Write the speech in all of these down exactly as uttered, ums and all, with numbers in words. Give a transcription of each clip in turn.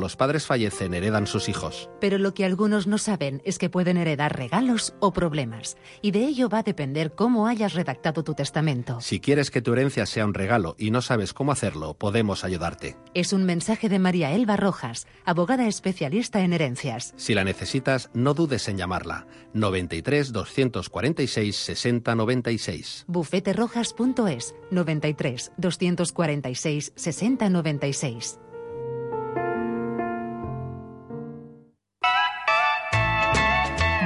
los padres fallecen, heredan sus hijos. Pero lo que algunos no saben es que pueden heredar regalos o problemas, y de ello va a depender cómo hayas redactado tu testamento. Si quieres que tu herencia sea un regalo y no sabes cómo hacerlo, podemos ayudarte. Es un mensaje de María Elba Rojas, abogada especialista en herencias. Si la necesitas, no dudes en llamarla. noventa y tres, doscientos cuarenta y seis, sesenta noventa y seis. bufete rojas punto es, noventa y tres, doscientos cuarenta y seis, sesenta noventa y seis.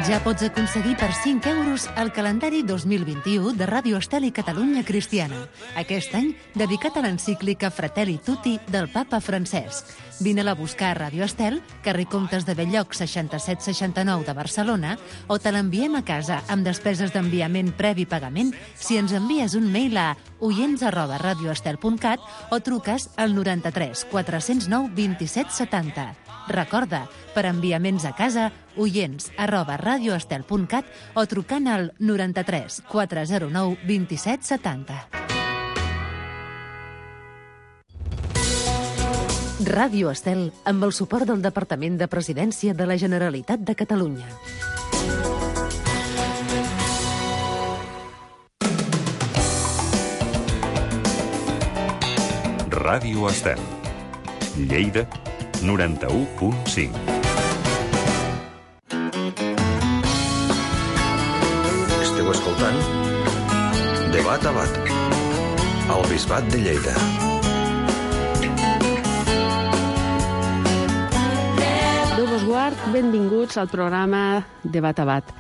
Ja pots aconseguir per cinc euros el calendari dos mil vint-i-u de Ràdio Estel i Catalunya Cristiana. Aquest any dedicat a l'encíclica Fratelli Tutti del papa Francesc. Vine-la a buscar a Ràdio Estel, carrer Comtes de Belloc seixanta-set seixanta-nou de Barcelona, o te l'enviem a casa amb despeses d'enviament previ pagament si ens envies un mail a oients arroba radioestel punt cat o truques al noranta-tres quatre-cents nou vint-i-set setanta. Recorda, per enviaments a casa, oients arroba radioestel punt cat o trucant al noranta-tres quatre-cents nou vint-i-set setanta. Ràdio Estel, amb el suport del Departament de Presidència de la Generalitat de Catalunya. Ràdio Estel. Lleida, noranta-u punt cinc. Esteu escoltant Debat a Bat, al Bisbat de Lleida. Déu vos guard, benvinguts al programa Debat a Bat.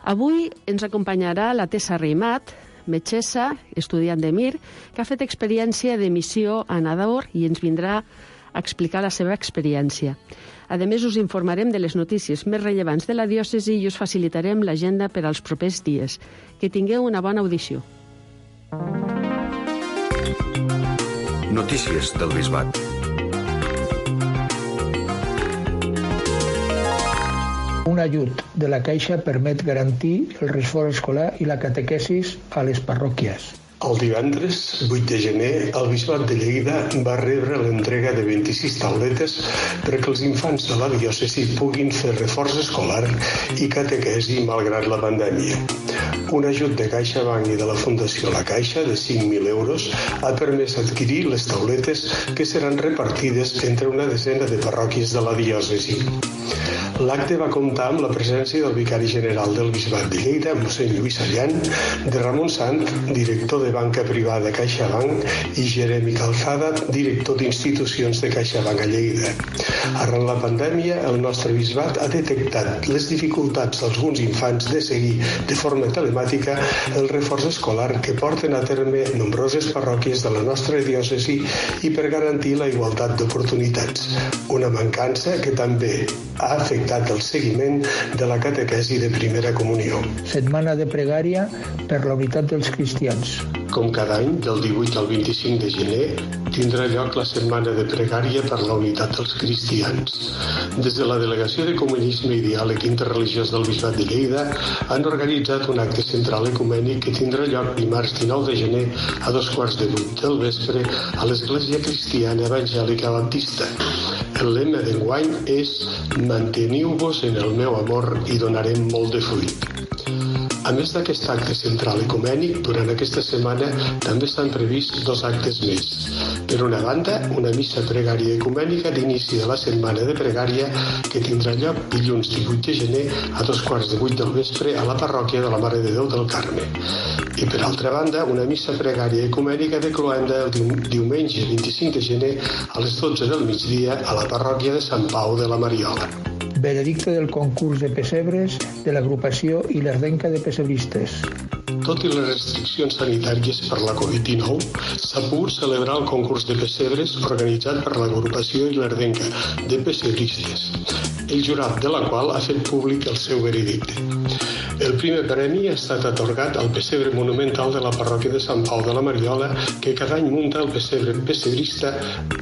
Avui ens acompanyarà la Tessa Reimat, metgessa, estudiant de Mir, que ha fet experiència de missió a Nador i ens vindrà a explicar la seva experiència. A més, us informarem de les notícies més rellevants de la diòcesi i us facilitarem l'agenda per als propers dies. Que tingueu una bona audició. Notícies del Bisbat. Un ajut de la Caixa permet garantir el reforç escolar i la catequesis a les parròquies. El divendres, vuit de gener, el Bisbat de Lleida va rebre l'entrega de vint-i-sis tauletes perquè els infants de la diòcesi puguin fer reforç escolar i catequesi malgrat la pandèmia. Un ajut de CaixaBank i de la Fundació La Caixa de cinc mil euros ha permès adquirir les tauletes que seran repartides entre una desena de parròquies de la diòcesi. L'acte va comptar amb la presència del vicari general del Bisbat de Lleida, mossèn Lluís Allan, de Ramon Sant, director de banca privada CaixaBank, i Jeremy Calzada, director d'institucions de CaixaBank a Lleida. Arran la pandèmia, el nostre bisbat ha detectat les dificultats d'alguns infants de seguir de forma telemàtica el reforç escolar que porten a terme nombroses parròquies de la nostra diòcesi i per garantir la igualtat d'oportunitats. Una mancança que també ha afectat el seguiment de la catequesi de primera comunió. Setmana de pregària per la unitat dels cristians. Com cada any, del divuit al vint-i-cinc de gener, tindrà lloc la Setmana de Pregària per la Unitat dels Cristians. Des de la Delegació de Comunisme i Diàleg Interreligiós del Bisbat de Lleida han organitzat un acte central ecumènic que tindrà lloc dimarts dinou de gener a dos quarts de vuit del vespre a l'Església Cristiana Evangèlica Baptista. El lema d'enguany és «Manteniu-vos en el meu amor i donarem molt de fruit». A més d'aquest acte central ecumènic, durant aquesta setmana també estan prevists dos actes més. Per una banda, una missa pregària ecumènica d'inici de la setmana de pregària que tindrà lloc dilluns divuit de gener a dos quarts de vuit del vespre a la parròquia de la Mare de Déu del Carme. I per altra banda, una missa pregària ecumènica de cloenda el diumenge vint-i-cinc de gener a les dotze del migdia a la parròquia de Sant Pau de la Mariola. Veredicte del concurs de pessebres de l'agrupació i l'Ardenca de Pessebristes. Tot i les restriccions sanitàries per la covid dinou, s'ha pogut celebrar el concurs de pessebres organitzat per l'agrupació i l'Ardenca de Pessebristes, el jurat de la qual ha fet públic el seu veredicte. El primer premi ha estat atorgat al pessebre monumental de la parròquia de Sant Pau de la Mariola, que cada any munta el pessebre pessebrista,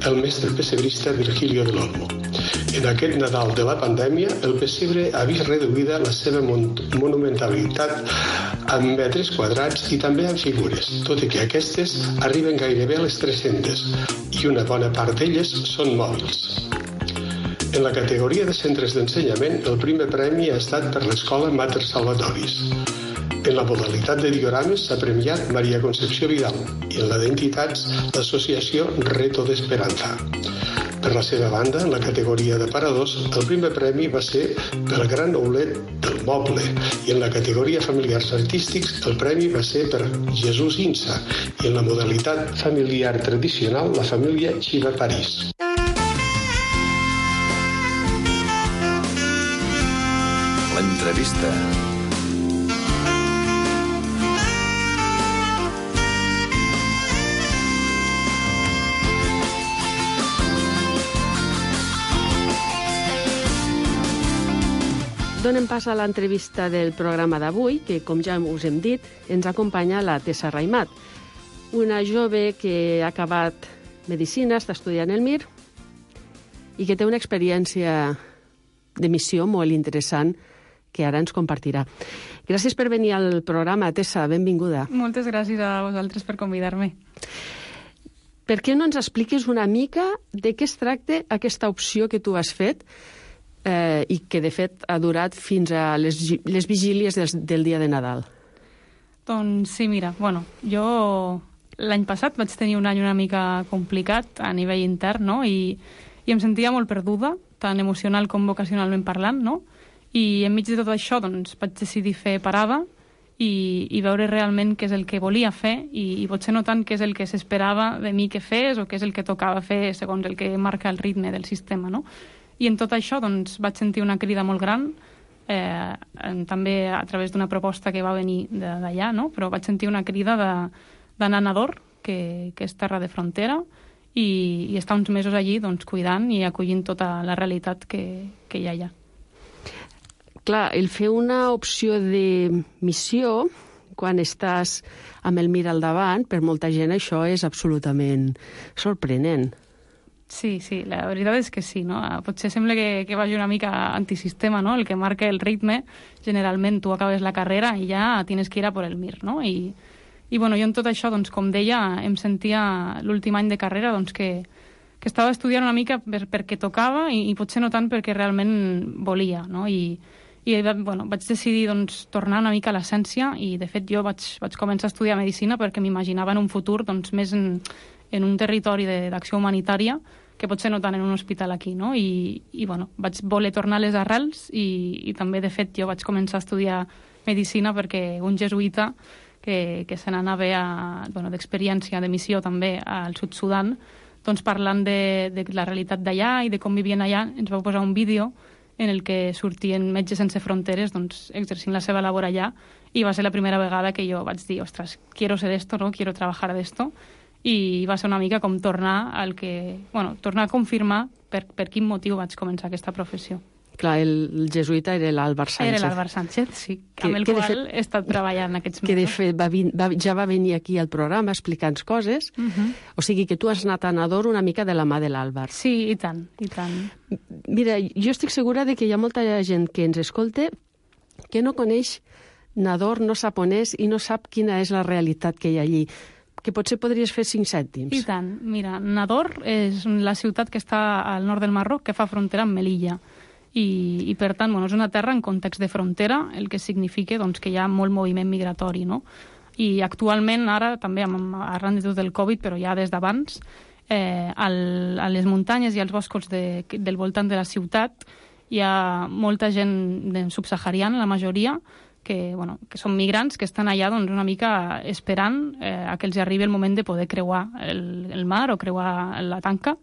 el mestre pessebrista Virgilio del Olmo. En aquest Nadal de la pandèmia, el pessebre ha vist reduïda la seva monumentalitat en metres quadrats i també en figures, tot i que aquestes arriben gairebé a les tres-centes i una bona part d'elles són mòbils. En la categoria de centres d'ensenyament, el primer premi ha estat per l'escola Mater Salvatoris. En la modalitat de diorames s'ha premiat Maria Concepció Vidal i en la d'entitats l'associació Reto d'Esperanza. Per la seva banda, en la categoria de paradors, el primer premi va ser pel gran oulet del moble i en la categoria familiars artístics el premi va ser per Jesús Insa i en la modalitat familiar tradicional la família Xiva París. L'entrevista. Donem pas a l'entrevista del programa d'avui, que, com ja us hem dit, ens acompanya la Tessa Raimat, una jove que ha acabat medicina, està estudiant el Mir, i que té una experiència de missió molt interessant que ara ens compartirà. Gràcies per venir al programa, Tessa, benvinguda. Moltes gràcies a vosaltres per convidar-me. Per què no ens expliques una mica de què es tracta aquesta opció que tu has fet eh, i que, de fet, ha durat fins a les, les vigílies del, del dia de Nadal? Doncs sí, mira, bueno, jo l'any passat vaig tenir un any una mica complicat a nivell intern, no?, i, i em sentia molt perduda, tant emocional com vocacionalment parlant, no?, i enmig de tot això doncs, vaig decidir fer parada i, i veure realment què és el que volia fer i, i potser no tant què és el que s'esperava de mi que fes o què és el que tocava fer segons el que marca el ritme del sistema, no? I en tot això doncs, vaig sentir una crida molt gran, eh, també a través d'una proposta que va venir d'allà, no? Però vaig sentir una crida d'anar a Nador, que, que és terra de frontera, i, i estar uns mesos allí doncs, cuidant i acollint tota la realitat que, que hi ha allà. Clar, el fer una opció de missió quan estàs amb el Mir al davant, per molta gent això és absolutament sorprenent. Sí, sí, la veritat és que sí, no? Potser sembla que, que vagi una mica antisistema, no? El que marca el ritme, generalment tu acabes la carrera i ja tienes que ir a por el Mir, no? I, i bueno, jo en tot això, doncs, com deia, em sentia l'últim any de carrera doncs, que, que estava estudiant una mica per, perquè tocava i, i potser no tant perquè realment volia, no? I, i bueno, vaig decidir doncs, tornar una mica a l'essència i, de fet, jo vaig, vaig començar a estudiar Medicina perquè m'imaginava en un futur doncs, més en, en un territori d'acció humanitària que potser no tant en un hospital aquí, no? I, i bueno, vaig voler tornar a les arrels i, i també, de fet, jo vaig començar a estudiar Medicina perquè un jesuïta que, que se n'anava a, bueno, d'experiència, de missió també al Sud Sudan, doncs parlant de, de la realitat d'allà i de com vivien allà, ens vau posar un vídeo en el que sortien Metges Sense Fronteres doncs, exercint la seva labor allà i va ser la primera vegada que jo vaig dir ostres, quiero ser esto, no? Quiero trabajar de esto i va ser una mica com tornar al que, bueno, tornar a confirmar per, per quin motiu vaig començar aquesta professió. Clar, el, el jesuïta era l'Àlvar Sánchez. Era l'Àlvar Sánchez, sí, que, amb el qual fet, he estat treballant aquests mesos. Que de fet va, va, ja va venir aquí al programa explicant coses, uh -huh. O sigui que tu has anat a Nador una mica de la mà de l'Àlvar. Sí, i tant, i tant. Mira, jo estic segura de que hi ha molta gent que ens escolta que no coneix Nador, no sap on és i no sap quina és la realitat que hi ha allí. Que potser podries fer cinc cèntims. I tant. Mira, Nador és la ciutat que està al nord del Marroc, que fa frontera amb Melilla. I, i per tant, bueno, és una terra en context de frontera, el que significa doncs, que hi ha molt moviment migratori, no? I actualment, ara, també amb, arran de tot el Covid, però ja des d'abans, eh, al, a les muntanyes i als boscos de, del voltant de la ciutat hi ha molta gent subsahariana, la majoria, que, bueno, que són migrants que estan allà doncs, una mica esperant eh, a que els arribi el moment de poder creuar el, el mar o creuar la tanca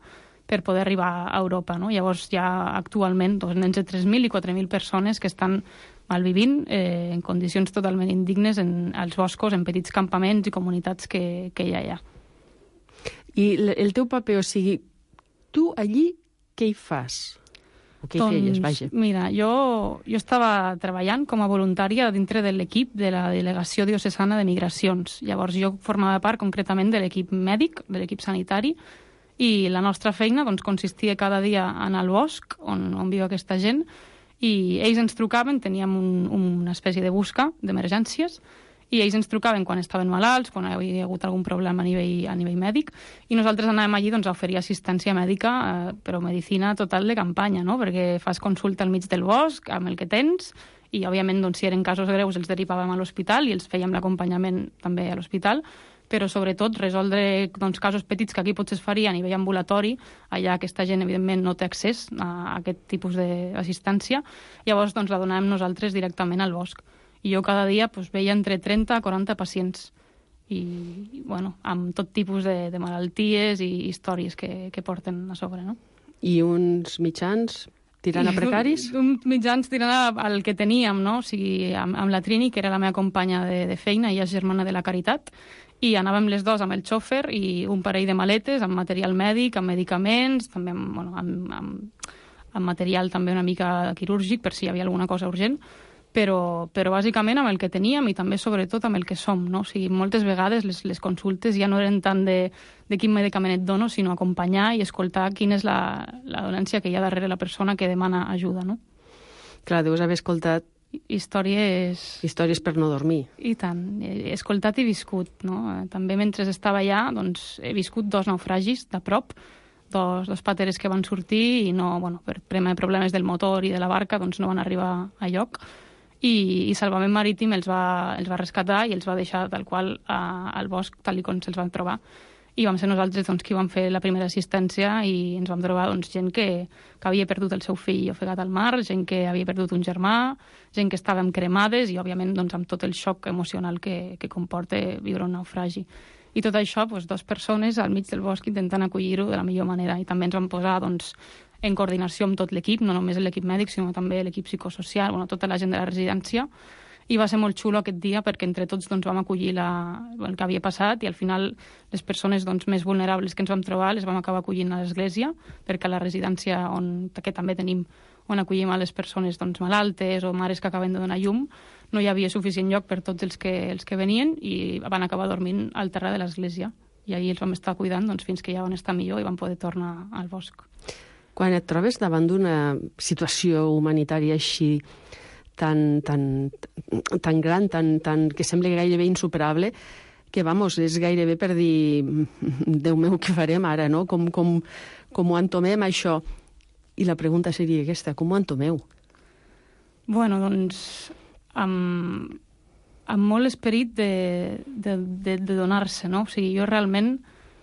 per poder arribar a Europa, no? Llavors hi ha actualment doncs, entre tres mil i quatre mil persones que estan malvivint eh, en condicions totalment indignes en, als boscos, en petits campaments i comunitats que, que hi ha allà. I el teu paper, o sigui, tu allí què hi fas? O què doncs, hi feies, vaja? Mira, jo, jo estava treballant com a voluntària dintre de l'equip de la Delegació Diocesana de Migracions. Llavors jo formava part concretament de l'equip mèdic, de l'equip sanitari, i la nostra feina doncs, consistia cada dia a anar al bosc on, on viu aquesta gent i ells ens trucaven, teníem un, una espècie de busca d'emergències i ells ens trucaven quan estaven malalts, quan hi havia hagut algun problema a nivell, a nivell mèdic, i nosaltres anàvem allí doncs, a oferir assistència mèdica, eh, però medicina total de campanya, no? Perquè fas consulta al mig del bosc, amb el que tens, i, òbviament, doncs, si eren casos greus, els derivàvem a l'hospital i els fèiem l'acompanyament també a l'hospital, però, sobretot, resoldre doncs, casos petits que aquí potser es faria a nivell ambulatori, allà aquesta gent, evidentment, no té accés a aquest tipus d'assistència, llavors doncs, la donàvem nosaltres directament al bosc. I jo cada dia doncs, veia entre trenta a quaranta pacients i, bueno, amb tot tipus de, de malalties i històries que, que porten a sobre, no? I uns mitjans tirant a precaris? I, uns mitjans tirant al que teníem, no? O sigui, amb, amb la Trini, que era la meva companya de, de feina, ella és germana de la Caritat, i anàvem les dues amb el xòfer i un parell de maletes amb material mèdic, amb medicaments, també amb, bueno, amb, amb, amb material també una mica quirúrgic, per si hi havia alguna cosa urgent, però, però bàsicament amb el que teníem i també sobretot amb el que som, no? O sigui, moltes vegades les, les consultes ja no eren tant de, de quin medicament et dono, sinó acompanyar i escoltar quina és la, la dolència que hi ha darrere la persona que demana ajuda, no? Clar, deus haver escoltat històries... Històries per no dormir. I tant. He escoltat i viscut, no? També mentre estava allà, doncs, he viscut dos naufragis de prop, dos, dos pateres que van sortir i no, bueno, per problemes del motor i de la barca, doncs no van arribar a lloc. I, i Salvament Marítim els va, els va rescatar i els va deixar tal qual a, al bosc, tal com se'ls van trobar. I vam ser nosaltres doncs, qui vam fer la primera assistència i ens vam trobar doncs, gent que, que havia perdut el seu fill ofegat al mar, gent que havia perdut un germà, gent que estàvem cremades i, òbviament, doncs, amb tot el xoc emocional que, que comporta viure un naufragi. I tot això, doncs, dues persones al mig del bosc intentant acollir-ho de la millor manera. I també ens vam posar doncs, en coordinació amb tot l'equip, no només l'equip mèdic, sinó també l'equip psicosocial, bueno, tota la gent de la residència, i va ser molt xulo aquest dia perquè entre tots doncs, vam acollir la, el que havia passat i al final les persones doncs, més vulnerables que ens vam trobar les vam acabar acollint a l'església, perquè a la residència on, que també tenim on acollim a les persones doncs, malaltes o mares que acaben de donar llum, no hi havia suficient lloc per tots els que, els que venien i van acabar dormint al terra de l'església. I ahir els vam estar cuidant doncs, fins que ja van estar millor i van poder tornar al bosc. Quan et trobes davant d'una situació humanitària així tan, tan, tan gran, tan, tan, que sembla gairebé insuperable, que, vamos, és gairebé per dir Déu meu, què farem ara, no? Com, com, com ho entomem, això? I la pregunta seria aquesta, com ho entomeu? Bueno, doncs, amb, amb molt esperit de, de, de, de donar-se, no? O sigui, jo realment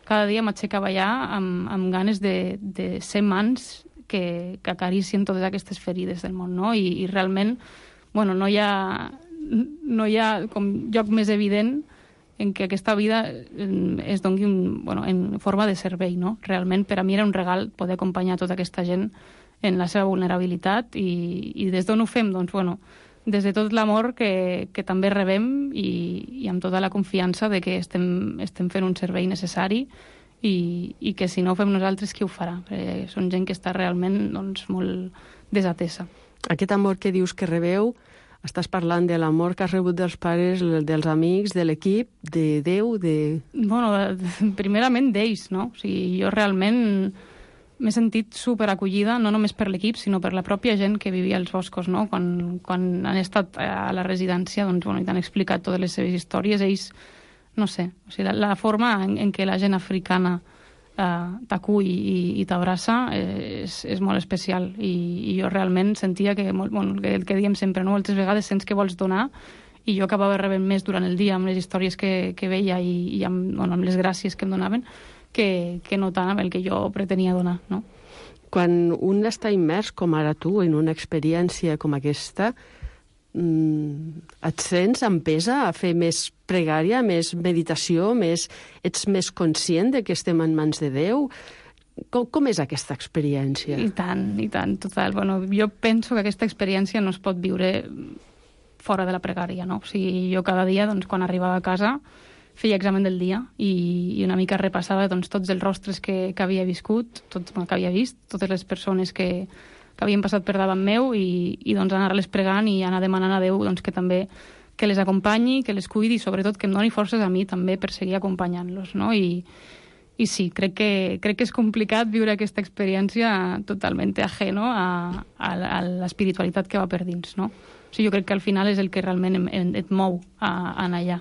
cada dia m'aixecava allà amb, amb ganes de, de ser mans que, que acaricien totes aquestes ferides del món, no? I, i realment, bueno, no hi ha, no hi ha com lloc més evident en què aquesta vida es doni un, bueno, en forma de servei, no? Realment, per a mi era un regal poder acompanyar tota aquesta gent en la seva vulnerabilitat i, i des d'on ho fem? Doncs, bueno, des de tot l'amor que, que també rebem i, i amb tota la confiança de que estem, estem fent un servei necessari i, i que si no ho fem nosaltres, qui ho farà? Perquè són gent que està realment doncs, molt desatesa. Aquest amor que dius que rebeu, estàs parlant de l'amor que has rebut dels pares, dels amics, de l'equip, de Déu, de... Bueno, primerament d'ells, no? O sigui, jo realment m'he sentit superacollida, no només per l'equip, sinó per la pròpia gent que vivia als boscos, no? Quan, quan han estat a la residència, doncs, bueno, i t'han explicat totes les seves històries, ells, no sé, o sigui, la, la forma en, en què la gent africana eh, t'acull i, i t'abraça eh, és, és molt especial, I, i jo realment sentia que, molt, bueno, el que, el que diem sempre, no? Moltes vegades sents que vols donar, i jo acabava rebent més durant el dia amb les històries que, que veia i, i amb, bueno, amb les gràcies que em donaven, que, que no tant amb el que jo pretenia donar, no? Quan un està immers, com ara tu, en una experiència com aquesta, mmm, et sents empesa a fer més pregària, més meditació, més, ets més conscient de que estem en mans de Déu? Com, com és aquesta experiència? I tant, i tant, total. Bueno, jo penso que aquesta experiència no es pot viure fora de la pregària, no? O sigui, jo cada dia, doncs, quan arribava a casa, feia examen del dia i, i una mica repassava doncs, tots els rostres que, que havia viscut, tot, que havia vist, totes les persones que, que havien passat per davant meu i, i doncs, anar-les pregant i anar demanant a Déu doncs, que també que les acompanyi, que les cuidi i sobretot que em doni forces a mi també per seguir acompanyant-los, no? I, I sí, crec que, crec que és complicat viure aquesta experiència totalment ajeno a, a, a l'espiritualitat que va per dins, no? O sigui, jo crec que al final és el que realment em, em, et mou a, a anar allà.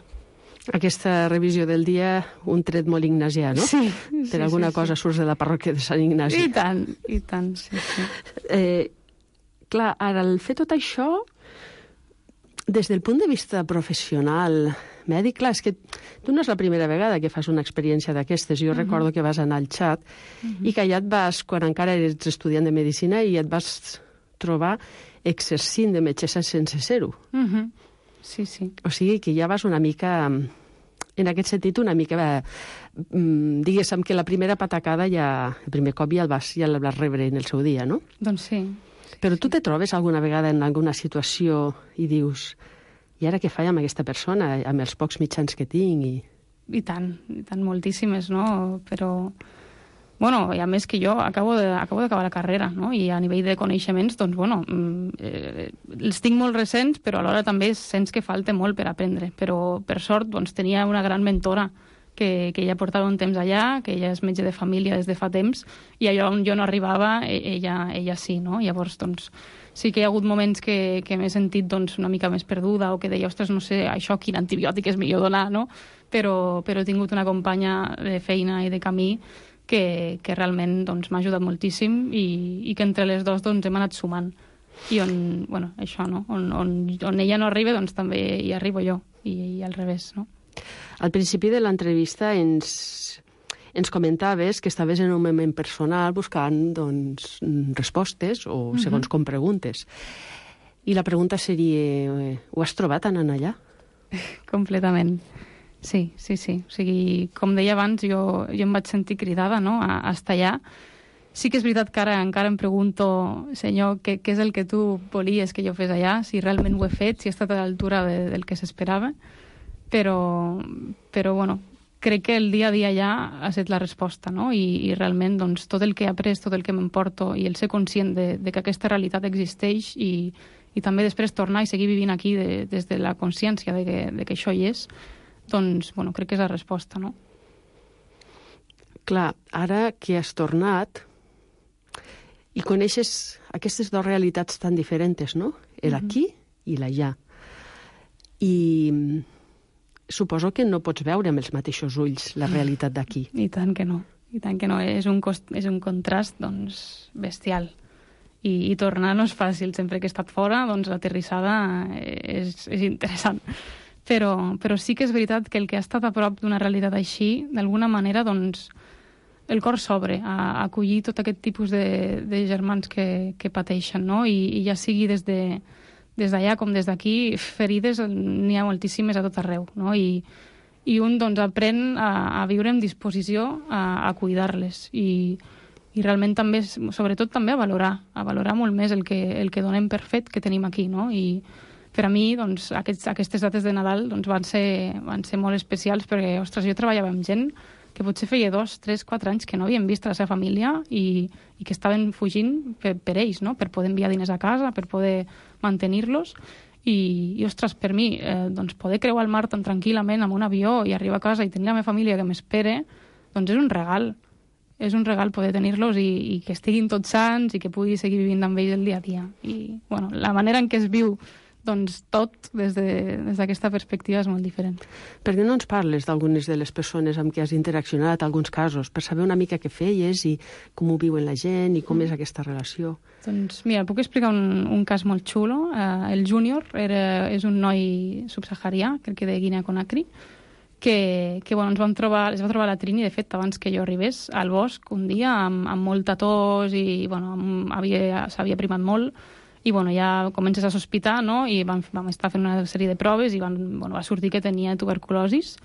Aquesta revisió del dia, un tret molt ignasià, no? Sí. Per sí, alguna sí, cosa sí. surts de la parròquia de Sant Ignasi. I tant, i tant, sí, sí. Eh, clar, ara, el fer tot això, des del punt de vista professional, mèdic, clar, és que tu no és la primera vegada que fas una experiència d'aquestes. Jo uh-huh. recordo que vas anar al xat uh-huh. i que allà et vas, quan encara eres estudiant de Medicina, i et vas trobar exercint de metgessa sense ser-ho. Uh-huh. Sí, sí. O sigui que ja vas una mica, en aquest sentit, una mica, eh, diguéssim que la primera patacada ja, el primer cop ja el vas, ja el vas rebre en el seu dia, no? Doncs sí. sí Però tu sí. te trobes alguna vegada en alguna situació i dius, i ara què faig amb aquesta persona, amb els pocs mitjans que tinc? I, I tant, i tant, moltíssimes, no? Però, bueno, i a més que jo acabo de, acabo d'acabar la carrera, no? I a nivell de coneixements, doncs, bueno, eh, els tinc molt recents, però alhora també sents que falta molt per aprendre. Però, per sort, doncs, tenia una gran mentora que, que ella portava un temps allà, que ella és metge de família des de fa temps, i allò on jo no arribava, ella, ella sí, no? Llavors, doncs, sí que hi ha hagut moments que, que m'he sentit doncs, una mica més perduda, o que deia, ostres, no sé, això, quin antibiòtic és millor donar, no? Però, però he tingut una companya de feina i de camí que, que realment doncs, m'ha ajudat moltíssim i, i que entre les dues doncs, hem anat sumant. I on, bueno, això, no? On, on, on ella no arriba, doncs també hi arribo jo, i, i al revés, no? Al principi de l'entrevista ens, ens comentaves que estaves en un moment personal buscant doncs, respostes o segons uh-huh. com preguntes. I la pregunta seria, ho has trobat anant allà? Completament. Sí, sí, sí. O sigui, com deia abans, jo, jo em vaig sentir cridada, no?, a, a estar allà. Sí que és veritat que ara encara em pregunto, senyor, què, què és el que tu volies que jo fes allà? Si realment ho he fet, si he estat a l'altura de, del que s'esperava. Però, però, bueno, crec que el dia a dia ja ha estat la resposta, no? I, i realment, doncs, tot el que he après, tot el que m'emporto i el ser conscient de, de que aquesta realitat existeix i, i també després tornar i seguir vivint aquí de, des de la consciència de que, de que això hi és, doncs, bueno, crec que és la resposta, no? Clar, ara que has tornat i coneixes aquestes dues realitats tan diferents, no? El aquí i l'allà. I suposo que no pots veure amb els mateixos ulls la realitat d'aquí. I tant que no, i tant que no. És un, cost, és un contrast, doncs, bestial. I, i tornar no és fàcil. Sempre que he estat fora, doncs, l'aterrissada és, és interessant. Però, però sí que és veritat que el que ha estat a prop d'una realitat així, d'alguna manera, doncs, el cor s'obre a, a acollir tot aquest tipus de, de germans que, que pateixen, no? I, i ja sigui des de des d'allà com des d'aquí, ferides n'hi ha moltíssimes a tot arreu, no? I, i un doncs, aprèn a, a viure en disposició a, a cuidar-les i, i realment també, sobretot també a valorar, a valorar molt més el que, el que donem per fet que tenim aquí, no? I per a mi, doncs, aquests, aquestes dates de Nadal doncs, van ser, van ser molt especials perquè, ostres, jo treballava amb gent que potser feia dos, tres, quatre anys que no havien vist la seva família i, i que estaven fugint per, per ells, no? Per poder enviar diners a casa, per poder mantenir-los. I, i ostres, per mi, eh, doncs poder creuar el mar tan tranquil·lament amb un avió i arribar a casa i tenir la meva família que m'espere, doncs és un regal. És un regal poder tenir-los i, i que estiguin tots sants i que pugui seguir vivint amb ells el dia a dia. I, bueno, la manera en què es viu doncs tot, des d'aquesta de, perspectiva, és molt diferent. Per què no ens parles d'algunes de les persones amb què has interaccionat, alguns casos, per saber una mica què feies i com ho viuen la gent i com mm. és aquesta relació? Doncs mira, puc explicar un, un cas molt xulo. Uh, el Júnior era, és un noi subsaharià, crec que de Guinea-Conakry, que, que bueno, ens vam trobar, es va trobar la Trini, de fet, abans que jo arribés, al bosc un dia, amb, amb molta tos i bueno, s'havia primat molt. I bueno, ja comences a sospitar, no? I vam, vam estar fent una sèrie de proves i van, bueno, va sortir que tenia tuberculosis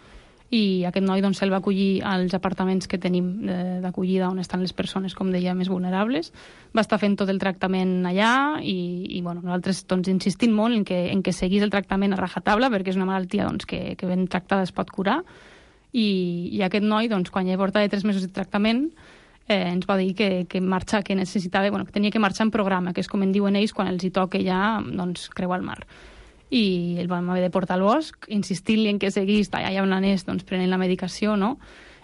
i aquest noi doncs, se'l va acollir als apartaments que tenim d'acollida on estan les persones, com deia, més vulnerables. Va estar fent tot el tractament allà i, i bueno, nosaltres doncs, insistint molt en que, en que seguís el tractament a rajatabla perquè és una malaltia doncs, que, que ben tractada es pot curar i, i aquest noi, doncs, quan ja portava tres mesos de tractament, Eh, ens va dir que, que, marxa, que necessitava, bueno, que tenia que marxar en programa, que és com en diuen ells quan els hi toca ja doncs, creuar el mar. I el vam haver de portar al bosc, insistint-li en que seguís allà on anés doncs, prenent la medicació, no?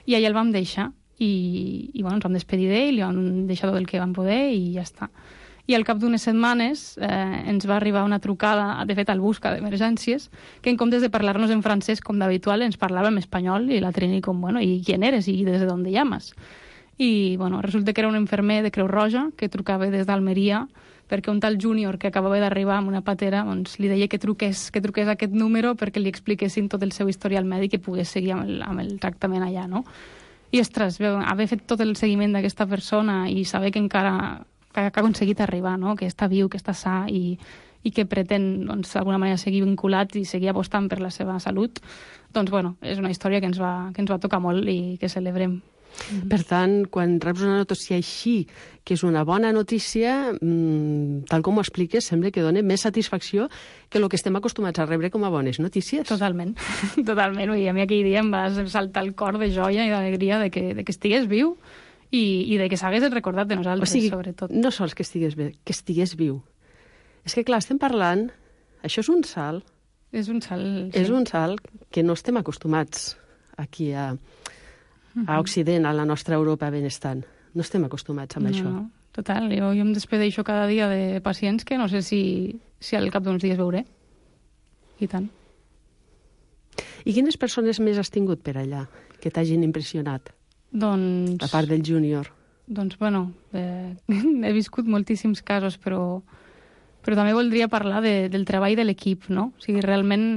I allà el vam deixar. i, i bueno, ens vam despedir d'ell, li vam deixar tot el que vam poder i ja està. I al cap d'unes setmanes eh, ens va arribar una trucada, de fet al busca d'emergències, que en comptes de parlar-nos en francès com d'habitual ens parlava en espanyol i la Trini com, bueno, ¿y quién eres? ¿Y desde dónde llamas? I bueno, resulta que era un infermer de Creu Roja que trucava des d'Almeria perquè un tal júnior que acabava d'arribar amb una patera doncs, li deia que truqués, que truqués a aquest número perquè li expliquessin tot el seu historial mèdic i pogués seguir amb el, amb el tractament allà, no? I, ostres, haver fet tot el seguiment d'aquesta persona i saber que encara que ha aconseguit arribar, no? Que està viu, que està sa i, i que pretén doncs, d'alguna manera seguir vinculat i seguir apostant per la seva salut, doncs, bueno, és una història que ens va, que ens va tocar molt i que celebrem. Per tant, quan reps una notícia així, que és una bona notícia, mmm, tal com ho expliques, sembla que dona més satisfacció que el que estem acostumats a rebre com a bones notícies. Totalment, totalment. I a mi aquell dia em va saltar el cor de joia i d'alegria de que, de que estigués viu i, i de que s'hagués recordat de nosaltres, o sigui, sobretot. No sols que estigués bé, que estigués viu. És que, clar, estem parlant... Això és un salt. És un salt, sí. És un salt que no estem acostumats aquí a... a Occident, a la nostra Europa benestant. No estem acostumats amb no, això. No, total. Jo, jo em despedeixo cada dia de pacients que no sé si, si al cap d'uns dies veuré. I tant. I quines persones més has tingut per allà que t'hagin impressionat? Doncs... A part del júnior. Doncs, bueno, eh, he viscut moltíssims casos, però, però també voldria parlar de, del treball de l'equip, no? O sigui, realment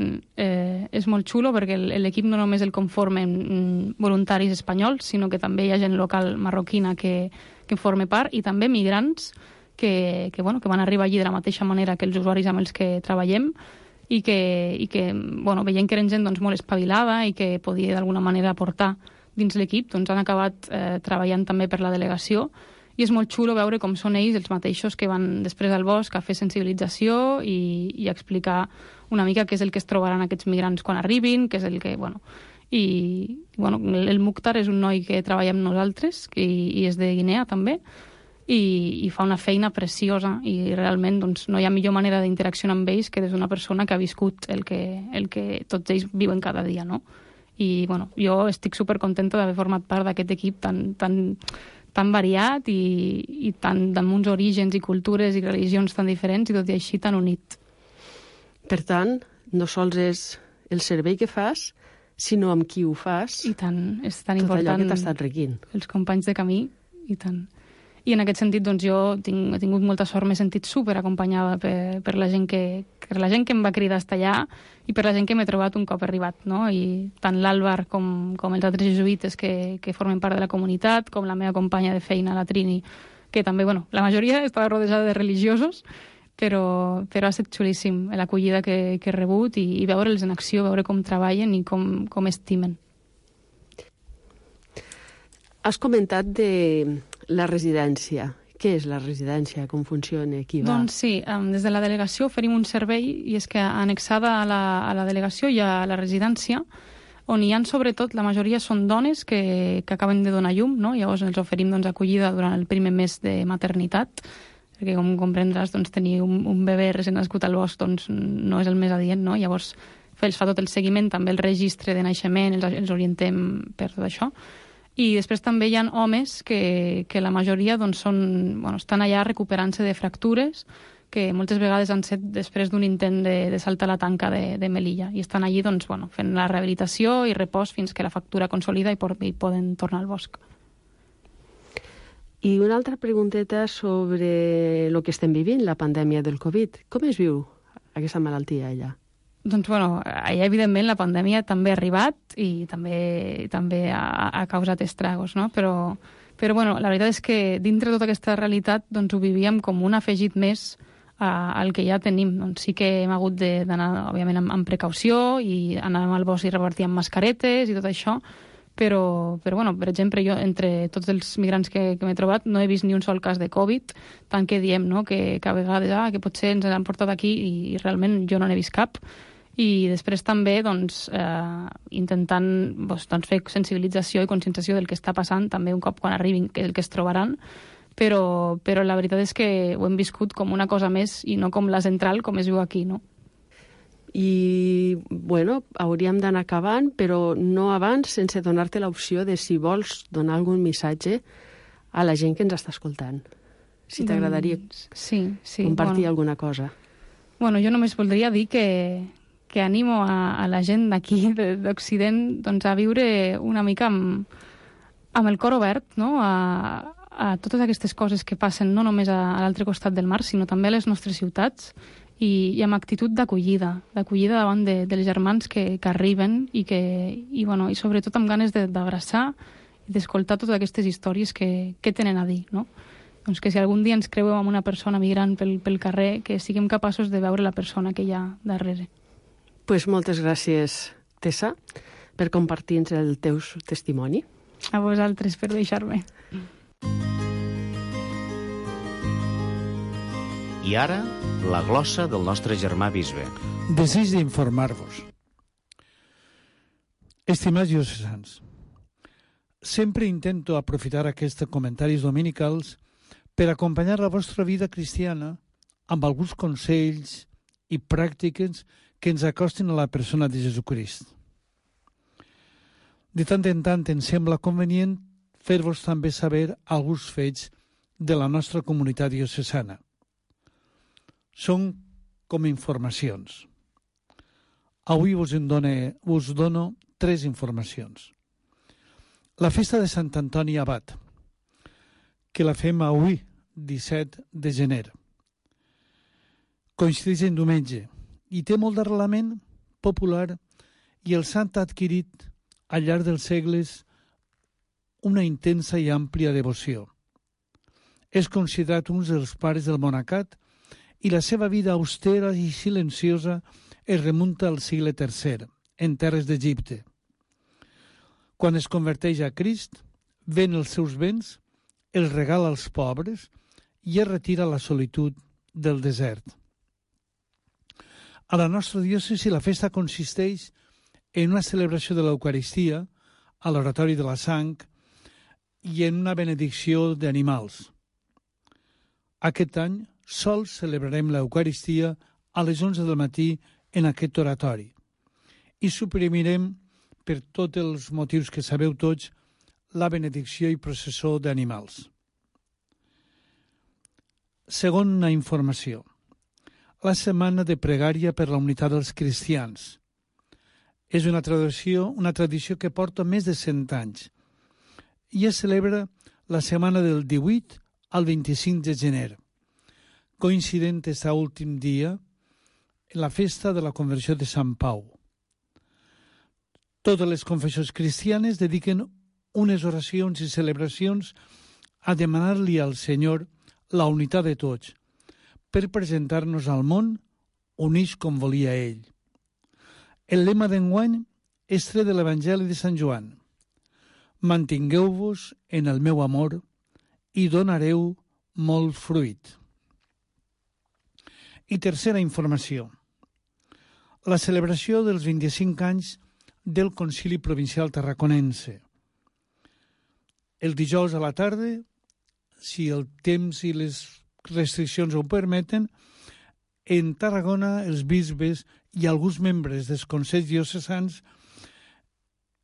eh, és molt xulo perquè l'equip no només el conformen voluntaris espanyols, sinó que també hi ha gent local marroquina que, que en forma part i també migrants que, que, bueno, que van arribar allí de la mateixa manera que els usuaris amb els que treballem i que, i que bueno, veient que eren gent doncs, molt espavilada i que podia d'alguna manera aportar dins l'equip, doncs han acabat eh, treballant també per la delegació i és molt xulo veure com són ells els mateixos que van després al bosc a fer sensibilització i, i a explicar una mica què és el que es trobaran aquests migrants quan arribin, què és el que... Bueno, i bueno, el Mukhtar és un noi que treballa amb nosaltres que, i és de Guinea també i, i fa una feina preciosa i realment doncs, no hi ha millor manera d'interaccionar amb ells que des d'una persona que ha viscut el que, el que tots ells viuen cada dia, no? I bueno, jo estic supercontenta d'haver format part d'aquest equip tan, tan, tan variat i, i tan, amb uns orígens i cultures i religions tan diferents i tot i així tan unit. Per tant, no sols és el servei que fas, sinó amb qui ho fas. I tant, és tan tot important. Tot allò que t'ha estat requint. Els companys de camí, i tant. I en aquest sentit, doncs, jo tinc, he tingut molta sort, m'he sentit super acompanyada per, per, la gent que, per la gent que em va cridar a estar allà i per la gent que m'he trobat un cop arribat, no? I tant l'Àlvar com, com els altres jesuïtes que, que formen part de la comunitat, com la meva companya de feina, la Trini, que també, bueno, la majoria estava rodejada de religiosos, però, però ha estat xulíssim l'acollida que, que he rebut i, i veure'ls en acció, veure com treballen i com, com estimen. Has comentat de la residència. Què és la residència? Com funciona? Qui va? Doncs sí, um, des de la delegació oferim un servei i és que annexada a la, a la delegació hi ha la residència on hi ha sobretot, la majoria són dones que, que acaben de donar llum, no? Llavors els oferim doncs, acollida durant el primer mes de maternitat perquè com comprendràs doncs, tenir un, un bebè recent nascut al bosc doncs, no és el més adient, no? Llavors els fa tot el seguiment, també el registre de naixement, els, els orientem per tot això. I després també hi ha homes que, que la majoria doncs, són, bueno, estan allà recuperant-se de fractures que moltes vegades han set després d'un intent de, de saltar la tanca de, de Melilla i estan allí doncs, bueno, fent la rehabilitació i repòs fins que la fractura consolida i, por, i poden tornar al bosc. I una altra pregunteta sobre el que estem vivint, la pandèmia del Covid. Com es viu aquesta malaltia allà? Doncs, bueno, allà, evidentment, la pandèmia també ha arribat i també, també ha, ha causat estragos, no? Però, però, bueno, la veritat és que dintre de tota aquesta realitat doncs, ho vivíem com un afegit més a, al que ja tenim. Doncs sí que hem hagut d'anar, òbviament, amb, amb precaució i anàvem al bosc i repartíem mascaretes i tot això, però, però bueno, per exemple, jo, entre tots els migrants que, que m'he trobat, no he vist ni un sol cas de Covid, tant que diem, no?, que, que a vegades, ah, que potser ens han portat aquí i, i realment jo no n'he vist cap. I després també doncs, eh, intentant doncs, doncs, fer sensibilització i conscienciació del que està passant també un cop quan arribin, que és el que es trobaran, però, però la veritat és que ho hem viscut com una cosa més i no com la central com es viu aquí, no? I, bueno, hauríem d'anar acabant, però no abans sense donar-te l'opció de si vols donar algun missatge a la gent que ens està escoltant. Si t'agradaria doncs, sí, sí, compartir bueno. alguna cosa. Bueno, jo només voldria dir que, que animo a, a la gent d'aquí, d'Occident, doncs a viure una mica amb, amb el cor obert, no?, a, a totes aquestes coses que passen no només a, a l'altre costat del mar, sinó també a les nostres ciutats, i, i amb actitud d'acollida, d'acollida davant de, dels germans que, que arriben i, que, i, bueno, i sobretot amb ganes d'abraçar i d'escoltar totes aquestes històries que, que tenen a dir, no? Doncs que si algun dia ens creuem amb una persona migrant pel, pel carrer, que siguem capaços de veure la persona que hi ha darrere. Pues moltes gràcies, Tessa, per compartir-nos el teu testimoni. A vosaltres per deixar-me. I ara, la glossa del nostre germà bisbe. Desig d'informar-vos. Estimats diocesans, sempre intento aprofitar aquests comentaris dominicals per acompanyar la vostra vida cristiana amb alguns consells i pràctiques que ens acostin a la persona de Jesucrist. De tant en tant em sembla convenient fer-vos també saber alguns fets de la nostra comunitat diocesana. Són com informacions. Avui us, en done, us dono tres informacions. La festa de Sant Antoni Abat, que la fem avui, disset de gener. Coincideix en diumenge i té molt d'arrelament popular i el sant ha adquirit al llarg dels segles una intensa i àmplia devoció. És considerat un dels pares del monacat i la seva vida austera i silenciosa es remunta al segle tercer, en terres d'Egipte. Quan es converteix a Crist, ven els seus béns, els regala als pobres i es retira a la solitud del desert. A la nostra diòcesi la festa consisteix en una celebració de l'Eucaristia, a l'oratori de la sang i en una benedicció d'animals. Aquest any sols celebrarem l'Eucaristia a les onze del matí en aquest oratori i suprimirem, per tots els motius que sabeu tots, la benedicció i processó d'animals. Segona informació. La setmana de pregària per la unitat dels cristians. És una tradició, una tradició que porta més de cent anys i es celebra la setmana del divuit al vint-i-cinc de gener, coincident aquest últim dia en la festa de la conversió de Sant Pau. Totes les confessions cristianes dediquen unes oracions i celebracions a demanar-li al Senyor la unitat de tots, per presentar-nos al món units com volia ell. El lema d'enguany és tret de l'Evangeli de Sant Joan. Mantingueu-vos en el meu amor i donareu molt fruit. I tercera informació. La celebració dels vint-i-cinc anys del Concili Provincial Tarraconense. El dijous a la tarda, si el temps i les restriccions ho permeten, en Tarragona els bisbes i alguns membres dels consells diocesans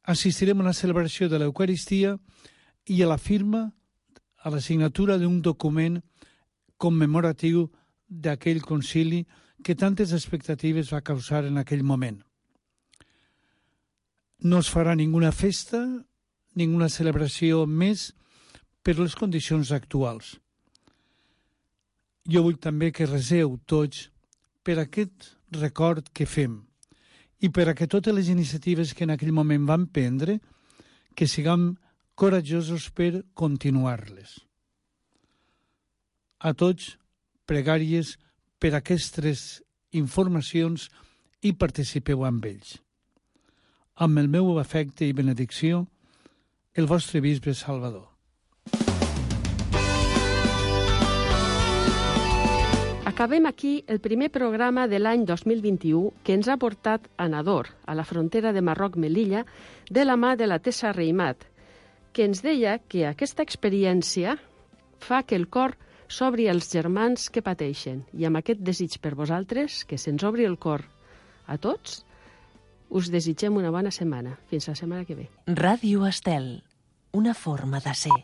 assistirem a una celebració de l'Eucaristia i a la firma, a la signatura d'un document commemoratiu d'aquell concili que tantes expectatives va causar en aquell moment. No es farà ninguna festa, ninguna celebració més per les condicions actuals. Jo vull també que reseu tots per aquest record que fem i per a que totes les iniciatives que en aquell moment van prendre, que siguem coratjosos per continuar-les. A tots, pregàries per aquestes informacions i participeu amb ells. Amb el meu afecte i benedicció, el vostre bisbe Salvador. Acabem aquí el primer programa de l'any dos mil vint-i-u que ens ha portat a Nador, a la frontera de Marroc-Melilla, de la mà de la Tessa Reimat, que ens deia que aquesta experiència fa que el cor s'obri als germans que pateixen. I amb aquest desig per vosaltres, que se'ns obri el cor A tots us desitgem una bona setmana. Fins la setmana que ve. Ràdio Estel, una forma de ser.